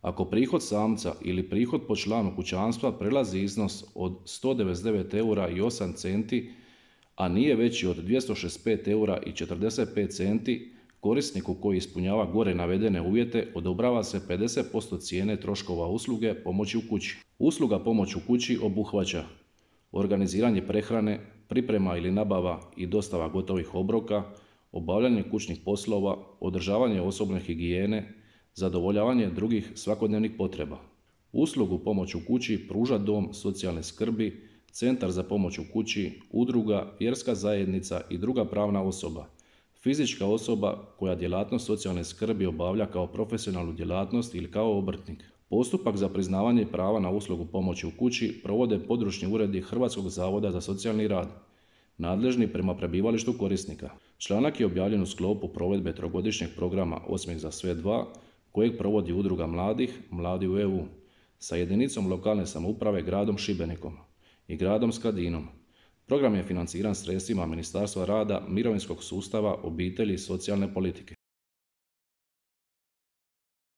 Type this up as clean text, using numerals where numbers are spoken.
Ako prihod samca ili prihod po članu kućanstva prelazi iznos od 199 eura i 8 centi, a nije veći od 265 eura i 45 centi, korisniku koji ispunjava gore navedene uvjete odobrava se 50% cijene troškova usluge pomoći u kući. Usluga pomoć u kući obuhvaća organiziranje prehrane, priprema ili nabava i dostava gotovih obroka, obavljanje kućnih poslova, održavanje osobne higijene, zadovoljavanje drugih svakodnevnih potreba. Uslugu pomoć u kući pruža dom socijalne skrbi, centar za pomoć u kući, udruga, vjerska zajednica i druga pravna osoba, fizička osoba koja djelatnost socijalne skrbi obavlja kao profesionalnu djelatnost ili kao obrtnik. Postupak za priznavanje prava na uslugu pomoći u kući provode područni uredi Hrvatskog zavoda za socijalni rad, nadležni prema prebivalištu korisnika. Članak je objavljen u sklopu provedbe trogodišnjeg programa Osmijeh za sve 2, kojeg provodi Udruga mladih, Mladi u EU, sa jedinicom lokalne samouprave gradom Šibenikom i gradom Skradinom. Program je financiran sredstvima Ministarstva rada, mirovinskog sustava, obitelji i socijalne politike.